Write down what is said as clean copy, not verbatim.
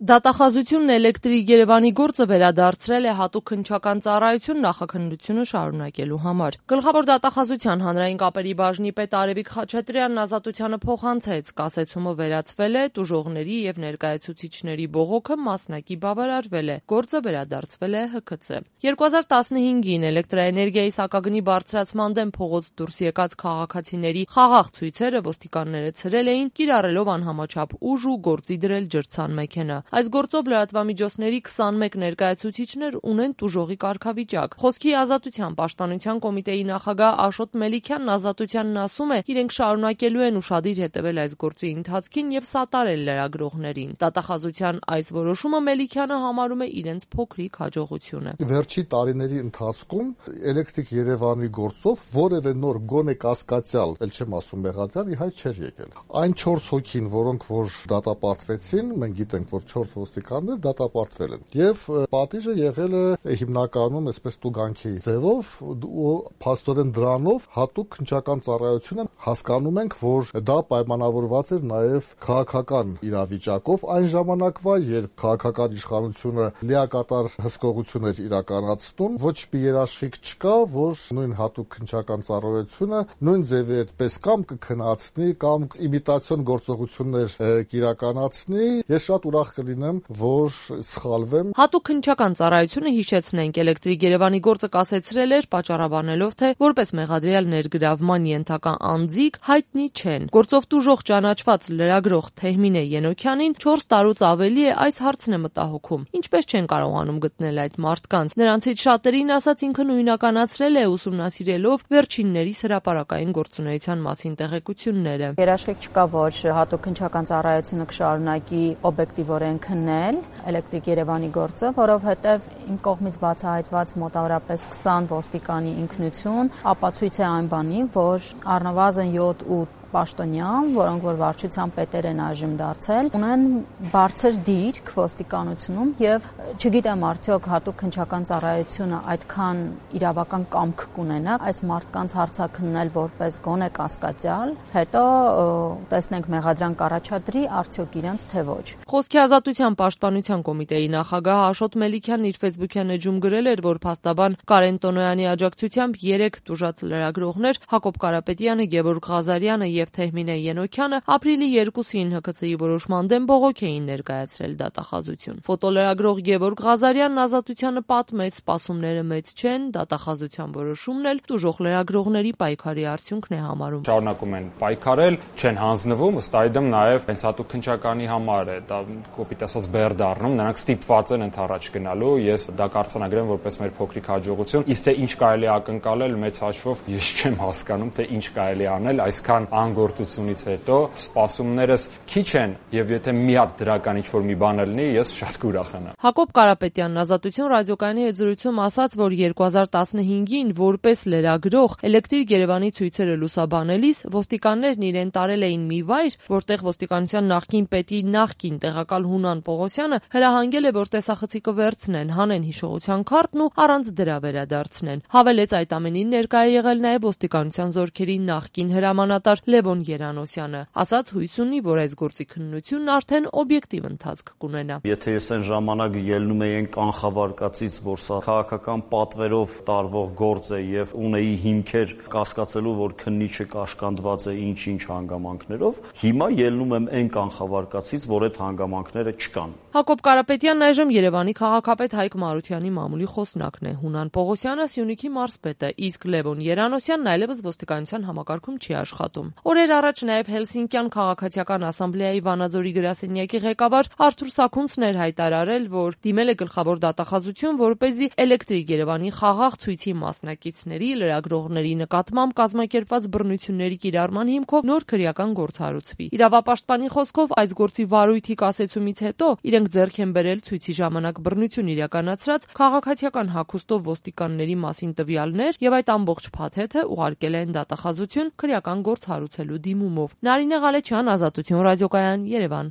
Դատախազությունն էլեկտրիկ Երևանի գործը վերադարձրել է հատուկ քննչական ծառայություն նախաքննությունը շարունակելու համար։ Գլխավոր դատախազության հանրային կապերի բաժնի պետ Արևիկ Խաչատրյանն ազատությանը փոխանցեց, կասեցումը վերացվել է, տուժողների եւ ներկայացուցիչների բողոքը մասնակի բավարարվել է, գործը վերադարձվել է ՀՔՑ։ 2015-ին էլեկտրաէներգիայի սակագնի բարձրացման դեմ փողոց դուրս եկած քաղաքացիների խաղաղ ցույցերը ոստիկանները ցրել էին, կիրառելով անհամաչափ ուժ ու գործի դրել ջրցան մեքենա։ Այս գործով լրատվամիջոցների 21 ներկայացուցիչներ ունեն տուժողի կարգավիճակ։ Խոսքի ազատության պաշտպանության կոմիտեի նախագահ Աշոտ Մելիքյանն ազատությանն ասում է, իրենք շարունակելու են ուշադիր հետևել այս գործի ընթացքին եւ սատարել լրագրողներին։ Դատախազության այս որոշումը Մելիքյանը համարում է իրենց փոքրիկ հաջողությունը։ Վերջի տարիների ընթացքում էլեկտրիկ Երևանի գործով որևէ նոր գոնե կասկածյալ, ել չեմ ասում մեղադրյալ, ի հայտ չէր եկել։ Այն 4 հոգին, որոնք որ դատապարտվեցին, մենք գիտենք, որ 4 ոստիկաններ դատապարտվել են։ Եվ պատիժը եղել է հիմնականում այսպես տուգանքի ձևով ու փաստորեն դրանով հատուկ քննչական ծառայությունը հասկանում ենք, որ դա պայմանավորված էր նաև քաղաքական իրավիճակով այն ժամանակվա, երբ քաղաքական իշխանությունը լիակատար հսկողություններ իրականացնում, ոչ մի երաշխիք չկա, որ նույն հատուկ քննչական ծառայությունը նույն ձևի այդպես կամ կքննացնի կամ իմիտացիոն գործողություններ կիրականացնի։ Ես շատ ուրախ կլինեմ, որ սխալվեմ։ Հատուկ քննչական ծառայությունը, հիշեցնենք, էլեկտրիկ Երևանի գործը կասեցրել էր, պատճառաբանելով, թե որպես մեղադրյալ ներգրավման ենթակա անձիկ հայտնի չեն։ Գործով տուժող ճանաչված լրագրող Թեհմինե Ենոքյանին 4 տարուց ավելի է այս հարցն է մտահոգում։ Ինչպես չեն կարողանում գտնել այդ մարդկանց։ Նրանցից շատերին ասած ինքը նույնականացրել է ուսումնասիրելով վերջիններիս հրապարակային գործունեության մասին տեղեկությունները։ Երաշխիք չկա, որ հատուկ քննչական ծառայությունը կշարունակի օբյեկտիվորեն քննել էլեկտրիկ Երևանի գործը, որովհետև իմ կողմից բացահայտված մոտավորապես 20 ոստիկանի ինքնություն ապացույց է այն բանի, որ առնվազն 7-8 պաշտոնյան, որոնք որ վարչության պետեր են այժմ դարձել, ունեն բարձր դիրք ոստիկանությունում եւ չգիտեմ արդյոք հատուկ քննչական ծառայությունը այդքան իրավական կամք կունենա այս մարդկանց հարցաքննել որպես գոնե կասկածյալ, հետո տեսնենք մեղադրանք կառաջադրի արդյոք իրենց թե ոչ։ Խոսքի ազատության պաշտպանության կոմիտեի նախագահ Աշոտ Մելիքյանն իր Facebook-յան էջում գրել էր, որ փաստաբան Կարեն Տոնոյանի աջակցությամբ 3 տուժած լրագրողներ Հակոբ Կարապետյանը, Գևորգ Ղազարյանը եւ Թեհմինե Ենոքյանը ապրիլի 2-ին ՀՔՑ-ի որոշման դեմ բողոք էին ներկայացրել դատախազություն։ Ֆոտոլրագրող Գևորգ Ղազարյանն ազատությանը պատմեց, սպասումները մեծ չեն, դատախազության որոշումն էլ տուժող լրագրողների պայքարի արդյունքն է համարում։ Շարունակում են պայքարել, չեն հանձնվում, ըստ այդմ նաեւ հենց հատուկ քննչականի համար է դա կոպիտ ասած բեր դառնում, նրանք ստիպված են ընդառաջ գնալու, ես դա կարձանագրեմ որպես մեր փոքրիկ հաջողություն, իսկ թե ինչ կարելի է ակնկալել մեծ հաշվով ես չեմ հասկանում, թե ինչ կարելի անել այսքան անգործությունից հետո, սպասումներս քիչ են եւ եթե մի հատ դրական ինչ-որ մի բան լինի, ես շատ կուրախանամ։ Հակոբ Կարապետյանն ազատություն ռադիոկայանի հետ զրույցում ասաց, որ 2015-ին որպես լրագրող էլեկտրիկ Երևանի ցույցերը լուսաբանելիս ոստիկաններն իրեն տարել էին մի վայր, որտեղ ոստիկանության նախկին պետի նախկին տեղակալ Հունան Պողոսյանը հրահանգել է, որ տեսախցիկը վերցնեն, հանեն հիշողության քարտն ու առանց դրա վերադարձնեն։ Հավելեց այդ ամենին ներկա է եղել նաև ոստիկանության զորքերի նախկին հրամանատար Լևոն Երանոսյանը, ասաց հույս ունի, որ այս գործի քննությունն արդեն օբյեկտիվ ընթացք կունենա։ Եթե ես այն ժամանակ ելնում էի կանխավարկածից, որ սա քաղաքական պատվերով տարվող գործ է եւ ունեի հիմքեր կասկածելու, որ քննիչը կաշկանդված է ինչ-ինչ հանգամանքներով, հիմա ելնում եմ այն կանխավարկածից, որ այդ հանգամանքները չկան։ Հակոբ Կարապետյանն այժմ Երևանի քաղաքապետ Հայկ Մարությանի մամուլի խոսնակն է, Հունան Պողոսյանը Սյունիքի մարզպետը, իսկ Լևոն Երանոսյանն այլևս ոստիկանության համակարգում չի աշխատում։ Օրեր առաջ նաև Հելսինկյան քաղաքացիական ասամբլեայի Վանաձորի գրասենյակի ղեկավար Արթուր Սաքունցն էր հայտարարել, որ դիմել է գլխավոր դատախազություն, որպեսզի էլեկտրիկ Երևանի խաղաղ ցույցի մասնակիցների, լրագրողների նկատմամբ կազմակերպված բռնությունների կիրառման հիմքով նոր քրեական գործ հարուցվի։ Իրավապաշտպանի խոսքով այս գործի վարույթի կասեցումից հետո իրենք ձեռք են բերել ցույցի ժամանակ բռնություն իրականացրած քաղաքացիական հագուստով ոստիկանների մասին տվյալներ եւ այդ ամբողջ փաթեթը ուղարկել են դատախազություն քրեական գործ հարուցելու դիմումով։ Նարինե Ղալեչյան, Ազատություն ռադիոկայան, Երևան։